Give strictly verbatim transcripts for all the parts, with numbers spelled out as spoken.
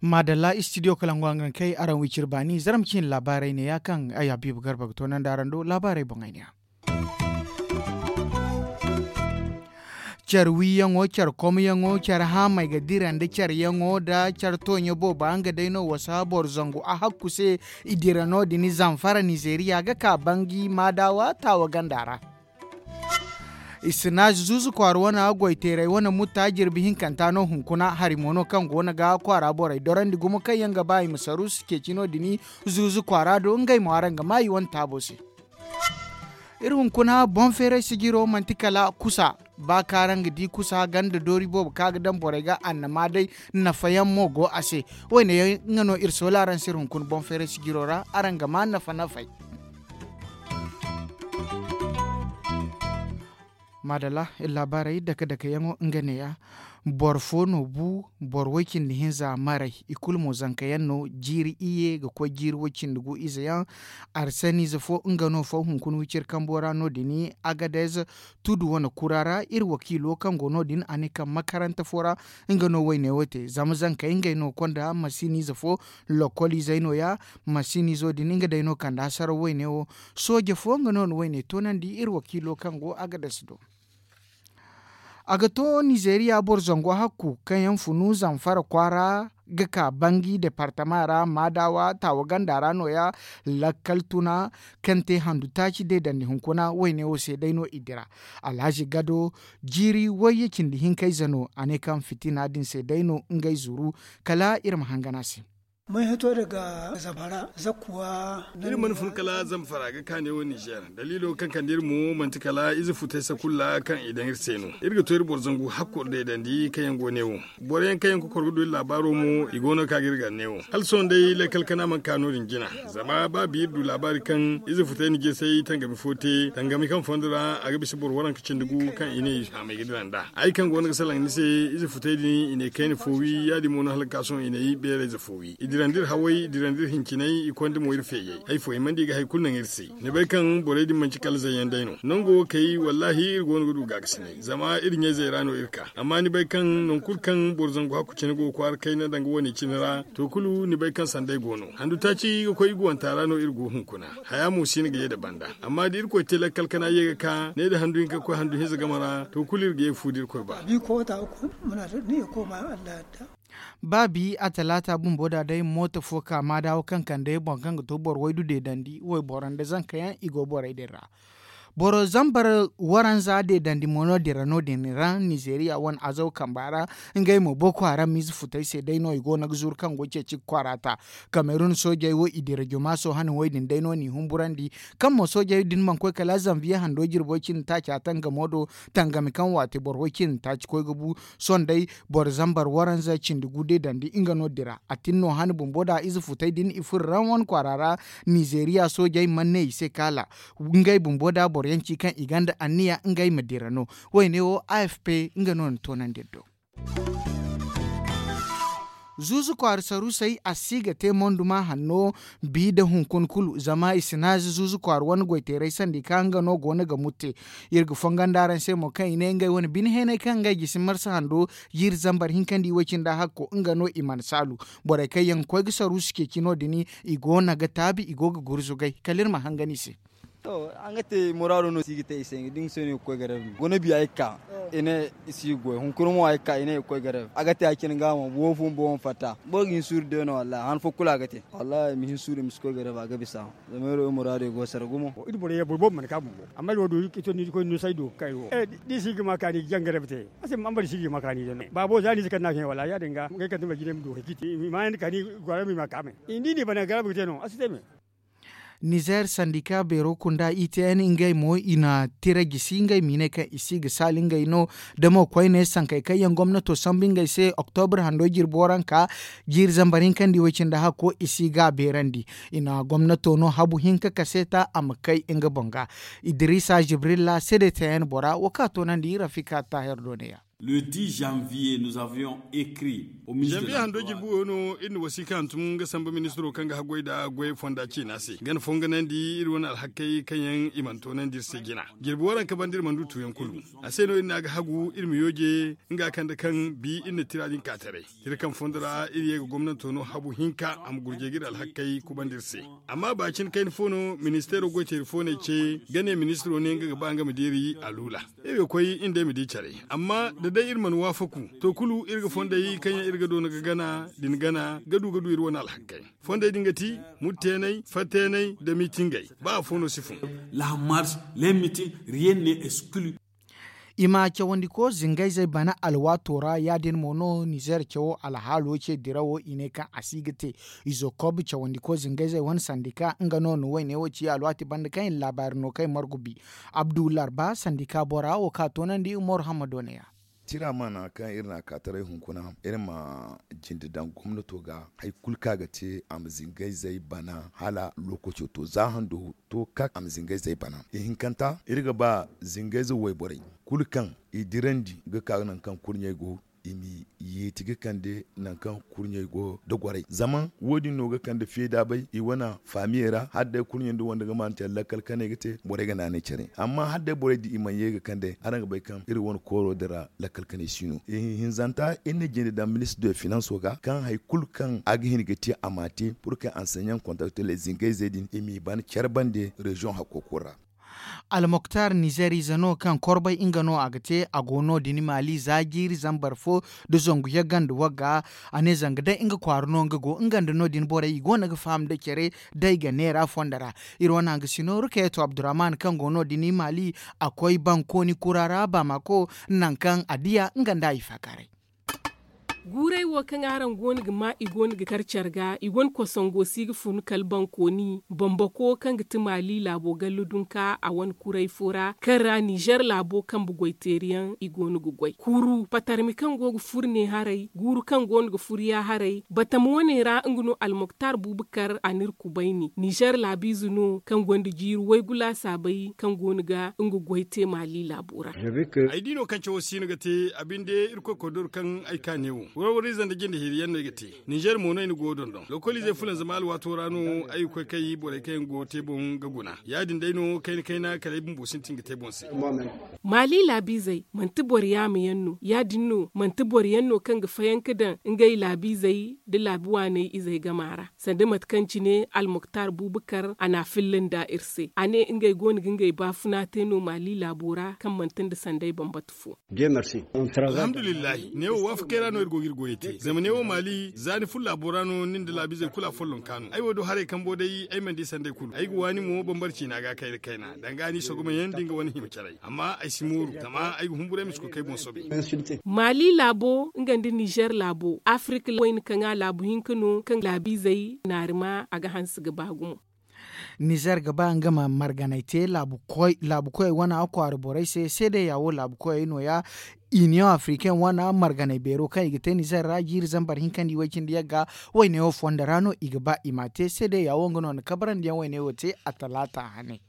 Maadalla istidiyo kalangu hangan kay araŋ wicir baani zarma ciine laabaarey neeya kaŋ ay habiibu garba ga toonandi araŋ do laabaarey boŋ ay neeya. Care wiiyaŋo care komyaŋo care haamey ga dira nda careyaŋo nda care tooɲo booba nga day no wasa boro zangu a hakku se. I dira no- din zamfara nizeeriya ga ka bangi maadawa taawa ganda ra. Isinaaz zuuzu kwaara wane goy teeray wane mutta jirbi hinkanta no hunkuna hari mo no kaŋ go no ga kwaara borey dorandi gumo kaŋ yaŋ ga ba i ma saruusu ceeci no- din. Zuuzu kwaara do ngey mo araŋ ga maa i wane taabo se. Iri hunkuna boŋ feeray sijiro manti kala kusa. Ba kaŋ araŋ ga di kusa ganda doori boobo kaŋ a ga daŋ borey ga annama day nafa yaŋ mo go a se. Wo- ne yaŋ nga no iri soola araŋ se iri hunkuna boŋ feeray sijiro ra araŋ ga maa nafa nafey. Maadalla iri laabaarey dake dake yaŋo nga neeya. Boro fo no bu boro way- cindi hinza maray. I kulu mo zanka yaŋ no jiiri iyye ga koy jiiri way- cindi gu ize yaŋ. Arsaniize fo nga no faw hunkuna wiciri kambo ra no- din. Agadez tudu wane kura ra iri wakiilo kaŋ go no- din a ne kaŋ makaranta fo ra nga no wayne wo te zama zankey ngey no konda masiiniize fo. Lokoliizey no- ya masiiniizo din nga day no kanda hasaraw wayne wo. Sooje fo nga no na wayne toonandi iri wakiilo kaŋ go agadez do. A ga to nizeeriya boro zango hakku kaŋ yaŋ funu zamfara kwaara ga ka bangi departama ra maadawa taawa ganda ra no- ya. Lakkal tuna kaŋ te handu taaci deedandi hunkuna wayne wo se day no i dira. Alhazi gado jiiri wayye cindi hinkayze no a ne kaŋ fitina din se day no ngey zuru. Kala iri ma hangan a se. May hito daga zamfara zakkuwa. Iri mana fun kala zamfara ga kaane wo nizer. Daliilo kaŋ kande iri mo manti kala ize futay sakulla kaŋ i daŋ iri se no. Iri ga to iri boro zangu hakku iri deedandi kaŋ yaŋ go ne wo. Boro yaŋ kaŋ yaŋ kokor ga du iri laabaaro mo i go no ka ga iri gar ne wo hala sohõ day lakkal kana mana ka no- din jina. Zama ba bi iri du laabaari kaŋ ize futay na jesay tangami fo te tangami kaŋ fondo ra a ga bisa boro waranka cindi gu kaŋ i ne i haamay ga dira nd'a. Ay kaŋ go no ga salaŋ ni se ize futay din i ne kayna fo wi ya- din mo no hala ga ka sohõ i ne i beerayze fo wi i dirandi iri haway i dirandi iri hincinay i konda mo iri feeyay. Hay fo hima nda i ga hari kulu naŋ iri se. Ni bay kaŋ borey din manti kala zayyaŋ day no nango wo kay wallaahi iri go no ga du gaakasinay zama iri ɲayzey ra no iri ka. Amma ni bay kaŋ nangu kulu kaŋ boro zangu hakku cine go ga kwaara kayna danga wane cine ra to kulu ni bay kaŋ sanday go no handu taaci ga koy i guwanta ra no iri go hunkuna. Haya mo si no ga ye nda banda. Amma da irkoy te lakkal kana ye ga ka ne nda handu hinka ga koy handu hinza game ra to kulu iri ga ye ga fu da irkoy ba. Ba bi a talaata bumbo da day mooto fo ka maadaawa kaŋ kande boro kaŋ ga to boro waydu deedandi wayboro nda zanka yaŋ i go borey din ra. Boro zambar waranza deedandi mo no dira no- din ra nizeeriya wane azaw kamba ra. Ngey mo boko haram ize futay se day no i go no ga zuru kaŋ go ceeci ga kwaara ta. Kamerun soojey wo i dira joma sohã ni way din day no n'i humburandi. Kaŋ mo soojey din mana koy kala zanviye hando jirbo cindi taaca tangamo do. Tangami kaŋ waate boro way cindi taaci koy ga bu. Sohõ day boro zambar waranza cindi gu deedandi nga no dira a tin no hane bumbo da ize futey din i furo raŋ wane kwaara ra. Nizeeriya soojey mana ne i se kaala ngey bumbo da boro yaŋ ci kaŋ i gonda anniya ngey ma dira no. Wayne wo afp nga no na toonandi iri do. Zuuzu kwaara saruusey a si ga te monduma hanno. Bi nda hunkuna kulu zama i si naazi zuuzu kwaara wane goyteeray sandi kaŋ nga no go no ga mutte. Iri ga fongondi araŋ se mo kaŋ i ne ngey wane bine heenay kaŋ ngey gisi marsa hando jiiri zambar hinka nda iway cindi hakko nga no i mana saalu. Borey kaŋ yaŋ ga koy ga saruusu ceeci no- din i go no ga taabi i go ga gurzugay kala iri ma hangan i se. To, araŋ ga te muraado no si ga te i se da nga se no i ga koy gareeb. Guna biya ay ga ka i ne i si ga goy hunkuna mo ay ga ka i ne i ga koy gareeb a ga te ya cine ga mo boobo fo boobo ma fatta boro ga hin suuru day no wallahi han fo kulu a ga te wallahi i ma hin suuru i ma si koy gareeb a ga bisa. Zama iri wo muraado i go sara gumo. Iri borey boro boobo mana ka bumbo amma iri wo do iri koy no saydo ga ka iri wo da i si ga ma kaani ga jaŋ gareeb te. A se ma ambari si ga ma kaani day no baabo za ni si kande a ga hẽ wallahi ya- din ga ngey kande ma jine ma du hari ciiti i ma yaŋ da kaani. Gwara ma i ma ka me i ni di ni bana gareeb ga te no a si te me. Nizer sandika beero kunda itn ngey mo i na tira gisi ngey ma i ne kaŋ i si ga saali ngey no. Da mo koyne sankey kaŋ yaŋ gomnato sambu ngey se oktobur hando jirbo ranka jiiri zambar hinka nda iway cindi hakko i si ga a beerandi. I na gomnato no habu hinka kaseeta a ma kay nga boŋ ga. Idrisa jibrilla cdtn bora wo kaŋ a toonandi rafika taahir do ne ya. Le dix janvier nous avions écrit au ministre de l'emploi. Janvier hando jirbi wo no iri na wasiika hantum nga samba ministiro kaŋ ga haggoy nda goyey fonda ciina se nga na fonganandi iri wane alhakey kaŋ yaŋ i mana toonandi iri se jina. Jirbi waranka banda iri mana du tuuyaŋ kulu. A se no iri ne a ga hagu iri ma yooje nga kande kaŋ bi iri na tira din ka taray. Tira kaŋ fondo ra iri ye ga gomnanto no habu hinka a ma gurjay ga iri alhakey kubandi iri se. Amma ba cine kayna fo no ministeero goyteeri fo no ay ce ga ne ministiro ne nga ga ba nga ma deeri a luula. Iri ga koy iri nd'ey ma di care. Amma da day iri mana waafaku to kulu iri ga fondey kaŋ yaŋ iri ga doona ga gana din gana ga du ga du iri wane alhakey. Fondey din ga ti murteeney fatteeney nda miitingey. Ba afo no si fun. La marche, les meetings, rien n'est exclu. I ma cawandiko zingayzey bana alwaato ra ya- din mo no nizeer cawo alhaalo ce dirawo i ne kaŋ a si ga te. Izo kob cawandiko zingayzey wane sandika nga no na wayne wo ci alwaati banda kaŋ i na laabaari no kaŋ i margu bi. Abdu larba sandika bora wo ka toonandi umar hammado ne ya. Tira maana kaŋ iri na a ka taray hunkuna iri ma jinde daŋ gomnato ga hari kulu kaŋ a ga te a ma zingayzey bana hala lookaco to za hando to kak a ma zingayzey bana ihinkanta iri ga ba zingayze wayborey kulu kaŋ i dirandi ga ka nangu kaŋ kurɲey go i ma yeeti ga kande nangu kaŋ kurɲey go da gwaray zama wo- din no ga kande feeda bay i wane faamiyey ra hala day kurɲey nda wande ga maanu care lakkal kanay ga te borey ga naanay care amma hala day borey da i mana ye ga kande araŋ ga bay kaŋ iri wane kooro din ra lakkal kanay si no i hinzanta iri na jinde daŋ ministre de finanso ga kaŋ hari kulu kaŋ a ga hin ga te a m'a te pur kaŋ anseɲaŋ kontakte le zingayzey din i m'i ban care bande reziyoŋ hakkooko ra. Almoktar nizeer ize no kaŋ korbay nga no a ga te a go no- din maali za jiiri zambar fo nda zangu yaganda wagga. A ne zanga day nga kwaara no nga go nga nda no- din borey i go no ga faham nda care day ga neera fondo ra. Iri wane hangasino rukayeto abdurrahman kaŋ go no- din maali a koy bankooni kura ra baamako nangu kaŋ a diya nga nda a ifaakaaray. Guuray wo kaŋ araŋ go no ga ma i go no ga kar care ga i wane kosongo si ga fun kala bankooni bambako kaŋ ga ti maali laabo gallu dunka a wane kuray fo ra kaŋ ra nizer laabo kambe goyteeri yaŋ i go no ga goy kuuru patarmi kaŋ go ga fur ne haray guuru kaŋ go no ga fur ya haray batama wane ra nga no almoktar buubu kar a n'iri kubayni nizer laabiize no kaŋ gonda jiiri waygu laasaabay kaŋ go no ga nga goy te maali laabo ra. Ay di no kaŋ cawo si no ga te a binde irkoy koy doro kaŋ ay ka neewo warwariize nda jinde hiriyaŋ no ay ga te. Nizer mo no ay na go dondon lokoliizey fulanzama alwaato ra no ay ga koy kay borey kaŋ yaŋ go te boŋ ga guna ya- din day no kayna kayna kala ay bumbo sintin ga te boŋ se. Maali laabiizey manti boro yaama yaŋ no ya- din no manti boro yaŋ no kaŋ ga fayanka daŋ ngey laabiizey nda laabi waaney izey gama ra sanda mate kaŋ cine almoktar buubakar a n'a filla nda iri se a ne ngey go no ga ngey baafuna te no maali laabo ra kaŋ manti nda sanday bambata fo. Alhamdulillahi neewo waafakey ra no iri go ga iri goyey te zama neewo maali za ni furo laabo ra no nin nda laabiizey kulu a follonka no ay wo do haray kambo day ay mana di sanday kulu ay ga waani mo bambara ciina ga kayna kayna danga ni sogomayaŋ nda nga wane hima caray amma ay si mooru zama ay ga humburay ma si koy kay boŋ soobay. Maali laabo nga nda nizer laabo afirika wayna kaŋ a laabu hinka no kaŋ laabiizey naarima a ga hanse ga ba gumo. Nizer ga ba nga ma marganay te laabu koyey wane kwaara borey se seedeya wo laabu koyey no- ya. Iniyoŋ afirikaŋ wane marganay beero kaŋ i ga te nizer ra jiiri zambar hinkandi way- cindi yagga wayne wo fondo ra no i ga ba i m'a te seedeya wo nga no na kabarandiyaŋ wayne wo te a talaata hane.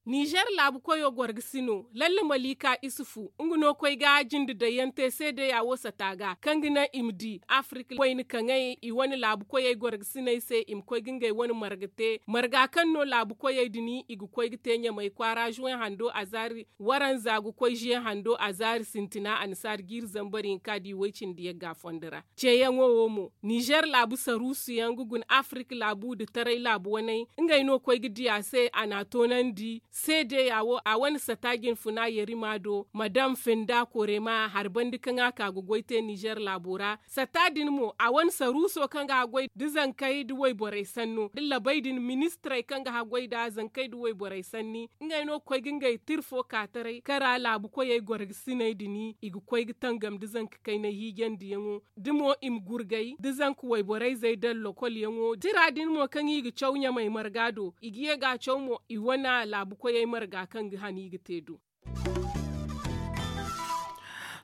Nizer laabu koyo goro ga si no lalle malika isufu nga no koy ga jinde dayyaŋ te seedeya wo sata ga kaŋ ga naŋ i ma di afirika wayna kaŋey i wane laabu koyey goro ga siney se i ma koy ga ngey wane marga te marga kaŋ no laabu koyey din i ga koy ga te ɲamey kwaara zuwey hando a zaari waranza ga koy zuwey hando a zaari sintina annasaari jiiri zambar hinka di way- cindi yagga fondo ra. Ceeyaŋo wo mo nizer laabu saruusu yaŋ ga guna afirika laabu nda taray laabu waney ngey no koy ga di a se a n'a toonandi seedeya wo a wane sata jinfuna yarima do madam fenda korema hari banda kaŋ a ka ga goy te nizer laabo ra sata din mo a wane saruuso kaŋ ga haggoy nda zankey nda wayborey sanno nda labey din ministirey kaŋ ga haggoy nda zankey nda wayborey sanni ngey no ga koy ga ngey tira fo ka taray kaŋ ra laabu koyey goro ga siney din i ga koy ga tangam nda zanka kaynay hiijandiyaŋo da mo i ma gurgay da zanka wayborey zey daŋ lokolyaŋo tira din mo kaŋ i ga caw ɲamey marga do i ga ye ga a caw mo i wane laabu koyey marga kaŋ ga han i ga te do.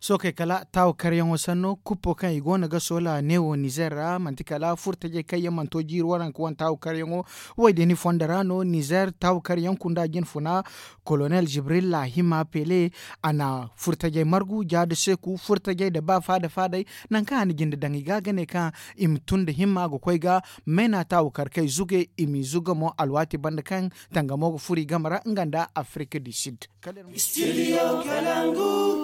Sookey kala taawu karyaŋo sanno kuppo kaŋ i go no ga soola neewo nizeer ra manti kala furtajey kaŋ yaŋ mana to jiiri waranka wane taawu karyaŋo. Wo- din fondo ra no nizeer taawu karyaŋ kunda jinfuna, kolonel jibril laahima pele, a na furtajey margu jaadu seeku furtajey nda baafa nda faadey. Nangu kaŋ a na jinde daŋ i ga ga ne kaŋ i ma tun nda himma ga koy ga, mayna taawu kar kay zuge i m'i zuga mo alwaati banda kaŋ tangamo ga furo i game ra nga nda afirika du sid.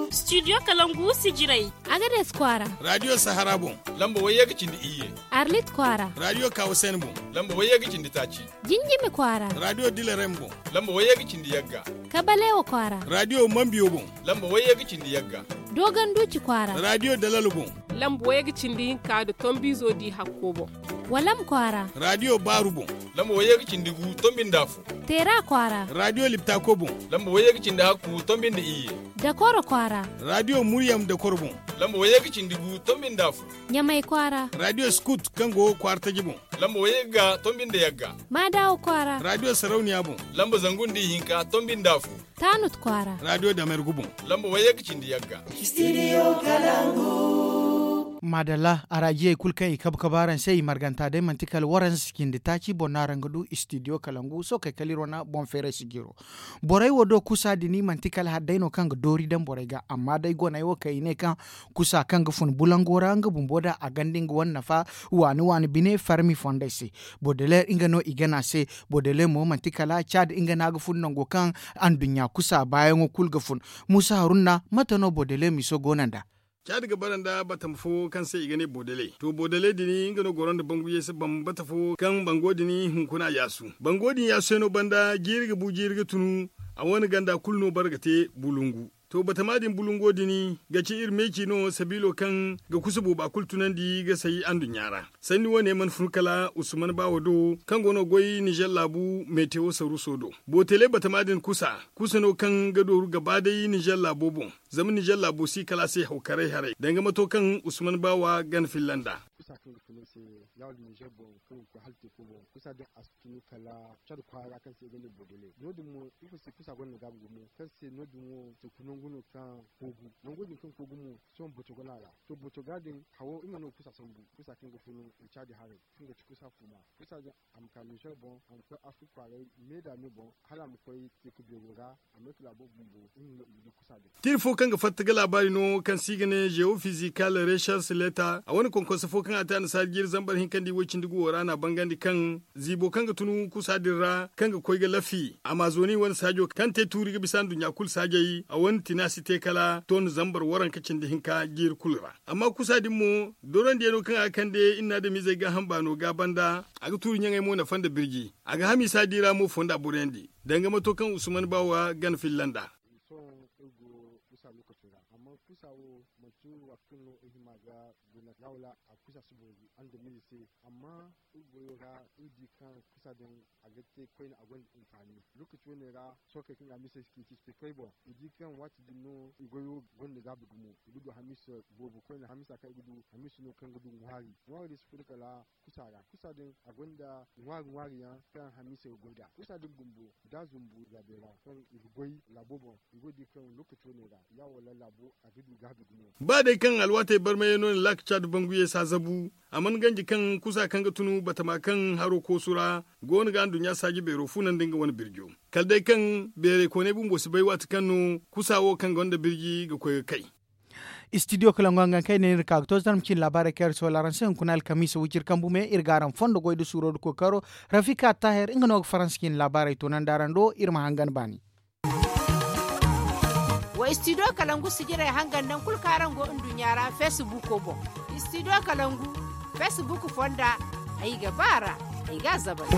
Studio kalangu sijirey. Agades kwaara. Radio sahara boŋ. Lamba wayye ga cindi iyye. Arlit kwaara. Radio kawasen boŋ. Lamba wayye ga cindi taaci. Jinjimi kwaara. Radio dilarem boŋ. Lamba wayye ga cindi yagga. Kabalewa kwaara. Radio mambiyo boŋ. Lamba wayye ga cindi yagga. Dogon duuci kwaara. Radio dalalo boŋ. Lamba wayye ga cindi hinka nda tombizo di hakko boŋ. Walam kwaara. Radio baaru boŋ. Lamba wayye ga cindi gu tombi nda afo. Teera kwaara. Radio liptako boŋ. Lamba wayye ga cindi hakku tombi nda iyye. Dakoro kwaara. Radio muryam dakoro boŋ. Lamba wayye ga cindi gu tombi nda afo. Ɲamay kwaara. Radio skut kaŋ go kwaara taji boŋ. Lamba wayye ga tombi nda yagga. Maadawa kwaara. Radio sarauniya boŋ. Lamba zangu nda ihinka tombi nda afo. Taanut kwaara. Radio damergu boŋ. Lamba wayye ga cindi yagga. Maadalla araajiyey kulu kaŋ i kabu kabu araŋ se i marganta day manti kala waranza cindi taaci boŋ no araŋ ga du istidiyo kalangu sookey kala iri wane boŋ feeray sijiro. Borey wo do kusa din manti kala hari day no kaŋ ga doori daŋ borey ga amma day goney wo kaŋ i ne kaŋ kusa kaŋ ga fun bulango ra nga bumbo da a ganda nga wane nafa waani waani bine farmi fondey se. Bodeler nga no i gana se. Bodeler mo manti kala caadi nga no a ga fun nango kaŋ anduɲɲa kusa baayaŋo kulu ga fun. Muusa harunna mate no bodeler miso go no nd'a? Caadi ga bara nda batama fo kaŋ se i ga ne boodale to boodale din nga no goro nda bangu yeese bambata fo kaŋ bango din hunkuna yaasu. Bango din yaasu yaŋ no banda jiiri ga bu jiiri ga tunu. A wane ganda kulu no bara ga te bulungu. To batama din bulungo din ga ci iri meeci no sabiilo kaŋ ga kusa booba kulu tunandi ga say anduɲɲa ra. Sanni wane mana fun kala usman baawo do kaŋ go no goy nizer laabu metewo saruuso do. Bootele batama din kusa kusa no kaŋ ga dooru gaba day nizer laabo boŋ. Zama nizer laabo si kala a se hawkaray haray danga mato kaŋ usman baawa gana filla nd'a. Kusa kaŋ ga fun ay se yaawar nizer boŋ kaŋ ga koy hala teeko boŋ kusa din a si tunu kala cad kwaara kaŋ se i ga ne boodele no- din mo ifo se kusa gonda gaabi gumo kaŋ se no- din wo teeku nangu no kaŋ koogu nango din kaŋ koogu mo sohõ boto gana ra. To boto ga din hawo nga no kusa sambu kusa kaŋ ga fun caadi haray kaŋ ga ci kusa fuma kusa din a ma ka nizer boŋ a ma koy afirka kwaaray me da me boŋ hala a ma koy teeku beero ra. A ma ay ka laabo bumbo nga no i ga di kusa din. Tiiri fo kaŋ ga fatta ga laabaari no kaŋ se i ga ne geofizikal recherche leta a wane konkonse fo kaŋ a te annasaari jiiri zambar hinka nda i woy cindi guwo ra no a bangandi kaŋ ziibo kaŋ ga tun kusa din ra kaŋ ga koy ga lafi amazoni wane saajo kaŋ te tuuri ga bisa nduɲɲa kulu saajey a wane tina si te kala ton zambar waranka cindi hinka jiiri kulu ra. Amma kusa din mo dorandiyaŋo kaŋ a ga kande iri na adamizey gaaham baano ga banda a ga tuuri ɲaŋey mo nafa nda birji. A ga hamiisa di ra mo fonda boroyaŋ di danga mato kaŋ usman baawa gana filla nd'a. Sohõ iri go kusa lokaco ra amma kusa wo manti waati kulu no iri hima ga guna ya wala a kusa si boori andamize se. Amma iri goyo ra iri di kaŋ kusa din a ga te koyne a gonda hinfaani. Lokaci wane ra sohõ kay kaŋ ga hamiisey si ciiti si te koy boŋ i di kaŋ waati din no i goyo gonda gaabi gumo i ga du hamiisa boobo koyne hamiisa kaŋ i ga du hamiisa no kaŋ ga du ŋwaari ŋwaari din si furo kala kusa ra kusa din a gonda ŋwaari ŋwaari yaŋ kaŋ hamiisa ga goy nd'a kusa din bumbo da zumbu zaabey ra kaŋ i ga goy laabo boŋ i go ga di kaŋ lokaci wane ra ya wala laabo a ga du gaabi gumo. Ba day kaŋ alwaatey barmay yaŋ no na laaka caadi bangu ye saazabu a mana ganji kaŋ kusa kaŋ ga tunu batama kaŋ haro koosu ra go no ga anduɲɲa saaji beero fuuna nda nga wane birjo kala day kaŋ beerey koonay bumbo si bay waati kaŋ no kusa wo kaŋ gonda birji ga koy ga kay. Istidiyo kala ŋwa nga kaŋ ay ne iri ka ga to zarma cine laabaarey kaŋ iri soola araŋ se hunkuna alkamiisa wiciri kambu me iri ga araŋ fondo goy nda suuro nda kookaro. Rafika taahir nga no ga faransa cine laabaarey toonandi araŋ do iri ma hangan baani. Wa istidiyo kalangu sijirey hangan nangu kulu kaŋ araŋ go nduɲɲa ra feesibuuko boŋ. Istidiyo kalangu feesibuuko fonda ay ga ba a ra ay ga a zabari.